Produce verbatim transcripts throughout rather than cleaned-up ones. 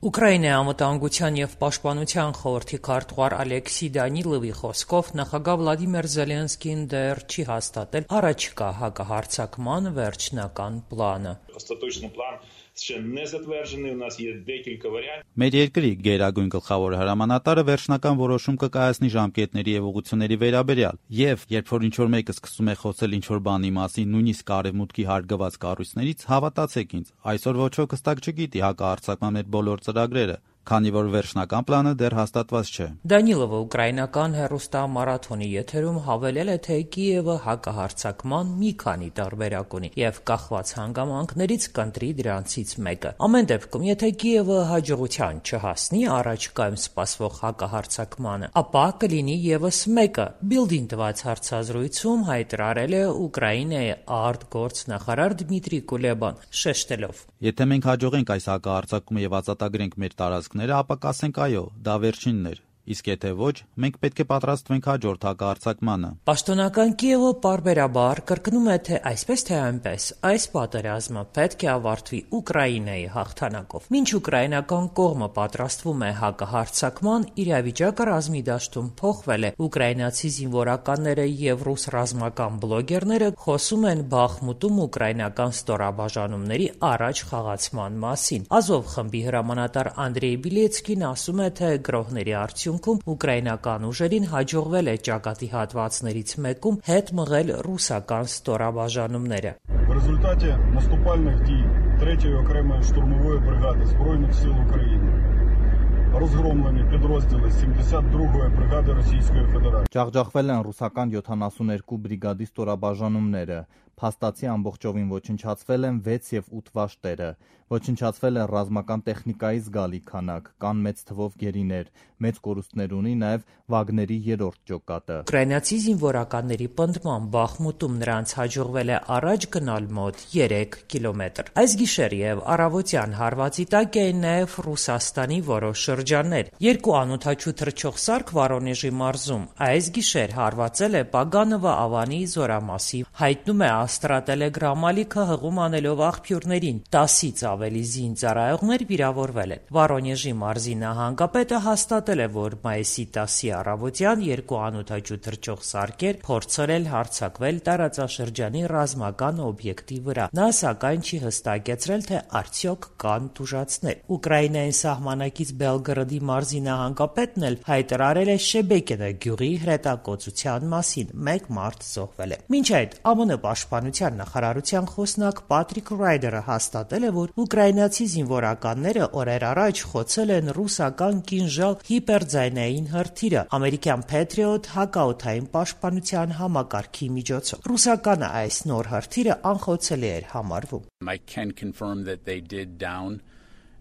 Ուկրաինայի անվտանգության և պաշտպանության խորհրդի քարտուղար Ալեքսի Դանիլովի խոսքով նախագահ Վլադիմիր Զելենսկին դեռ չի հաստատել առաջիկա հակահարձակման վերջնական պլանը։ Մեր երկրի գերագույն գլխավոր հրամանատարը վերջնական որոշում կկայացնի ժամկետների և ուղղությունների վերաբերյալ, և երբ որ ինչ-որ մեկը սկսում է խոսել ինչ-որ բանի մասին, նույնիսկ արևմուտքի հարգված կառույցներից, հավատացեք ինձ, այսօր ոչ ոք հստակ չգիտի հակահարձակման մեր բոլոր ծրագրերը, քանի որ վերջնական պլանը դեռ հաստատված չէ։ Դանիլովը ուկրաինական հեռուստամարաթոնի եթերում հավելել է, թե Կիևը հակահարձակման մի քանի տարբերակ ունի և կախված հանգամանքներից կընտրի դրանցից մեկը։ Ամեն դեպքում, եթե Կիևը հաջողության չհասնի առաջիկայում սպասվող հակահարձակմանը, ապա կլինի ևս մեկը, Բիլդին տված հարցազրույցում հայտարարել է Ուկրաինայի արտգործնախարար Դմիտրի Կուլեբան, շեշտելով. Եթե մենք հաջողենք այս հակահարձակումը և ազատագրենք մեր տարածքները, ապա կասենք այո, դա վերջինն էր, իսկ եթե ոչ, մենք պետք է պատրաստվենք հաջորդ հակահարձակմանը։ Պաշտոնական Կիևը պարբերաբար կրկնում է, թե այսպես թե այնպես, այս պատերազմը պետք է ավարտվի Ուկրաինայի հաղթանակով։ Մինչ ուկրաինական կողմը պատրաստվում է հակահարձակման, իրավիճակը ռազմի դաշտում փոխվել է։ Ուկրաինացի զինվորականները և ռուս ռազմական բլոգերները խոսում են Բախմուտում ուկրաինական ստորաբաժանումների առաջ խաղացման մասին։ Ազով խմբի հրամանատար Անդրեյ Բիլեցկին ասում է, թե գրոհների արդյունքում ուկրաինական ուժերին հաջողվել է ճակատի հատվածներից մեկում հետ մղել ռուսական ստորաբաժանումները։ В результате наступальных дій третьої окремої штурмової бригади Збройних сил України розгромлені підрозділи сімдесят другої бригади Російської Федерації. Ջախջախվել են ռուսական յոթանասուններկու բրիգադի ստորաբաժանումները, փաստացի ամբողջովին ոչնչացվել են վեց և ութ վաշտերը, ոչնչացվել են ռազմական տեխնիկայի զգալի քանակ, կան մեծ թվով գերիներ, մեծ կորուստներ ունի նաև Վագների երրորդ ջոկատը։ Ուկրաինացի զինվորականների պնդմամբ Բախմուտում նրանց հաջողվել է առաջ գնալ մոտ երեք կիլոմետր։ Այս գիշեր և առավոտյան հարվածի տակ էին նաև Ռուսաստանի որոշ շրջաններ։ Երկու անօդաչու թռչող սարք Վորոնեժի մարզում այս գիշեր հարվածել է Պագանովա ավանի զորամասի, հայտնում է Աստրատելեգրամ ալիքը հղում անելով աղբյուրներին։ տասից ավելի զինծառայողներ վիրավորվել են։ Վորոնեժի մարզի նահանգապետը հաստատել է, որ մայիսի տասի առավոտյան երկու անօդաչու թռչող սարքեր փորձել հարձակվել տարածաշրջանի ռազմական օբյեկտի վրա։ Նա սակայն չի հստակեցրել, թե արդյոք կան տուժածներ։ Ուկրաինայի սահմանակից Բելգրադի մարզի նահանգապետն էլ հայտարարել է Շեբեկինը գյուղի հրետակոծության մասին։ Մեկ մարդ զոհվել է։ Մինչ այդ ԱՄՆ պաշտպանության նախարարության խոսնակ Պատրիկ Ռայդերը հաստատել է, որ ուկրաինացի զինվորականները օրեր առաջ խոցել են ռուսական կինժալ հիպերձայնային հրթիռը ամերիկյան Patriot հակաօդային պաշտպանության համակարգի միջոցով։ Ռուսականը այս նոր հրթիռը անխոցելի էր համարվում։ I can confirm that they did down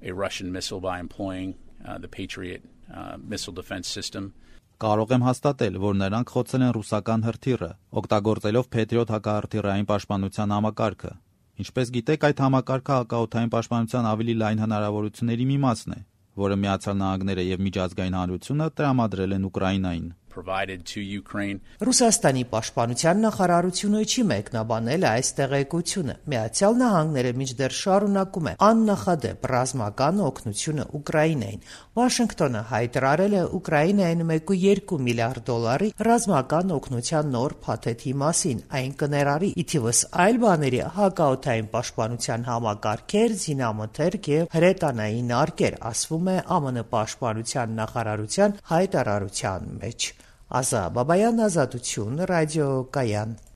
a Russian missile by employing uh, the Patriot uh, missile defense system. Կարող եմ հաստատել, որ նրանք խոցել են ռուսական հրթիռը, օգտագործելով Patriot հակահրթիռային պաշտպանության համակարգը։ Ինչպես գիտեք, այդ համակարգը հակաօդային պաշտպանության ավելի լայն հնարավորությունների մի մասն է, որը Միացյալ Նահանգները և միջազգային հանրությունը տրամադրել են Ուկրաինային։ Ռուսաստանի պաշտպանության նախարարությունը չի մեկնաբանել այս տեղեկությունը։ Միացյալ Նահանգները մինչդեռ շարունակում է աննախադեպ ռազմական օգնությունը Ուկրաինային։ Վաշինգտոնը հայտարարել է Ուկրաինային մեկ կողմը երկու միլիարդ դոլարի ռազմական օգնության նոր փաթեթի մասին։ Այն կներառի ի թիվս այլ բաների հակաօդային պաշտպանության համակարգեր, զինամթերք և հրետանային արկեր, ասվում է ԱՄՆ պաշտպանության նախարարության հայտարարության մեջ։ Ազա Բաբայան, Ազատություն, ռադիոկայան։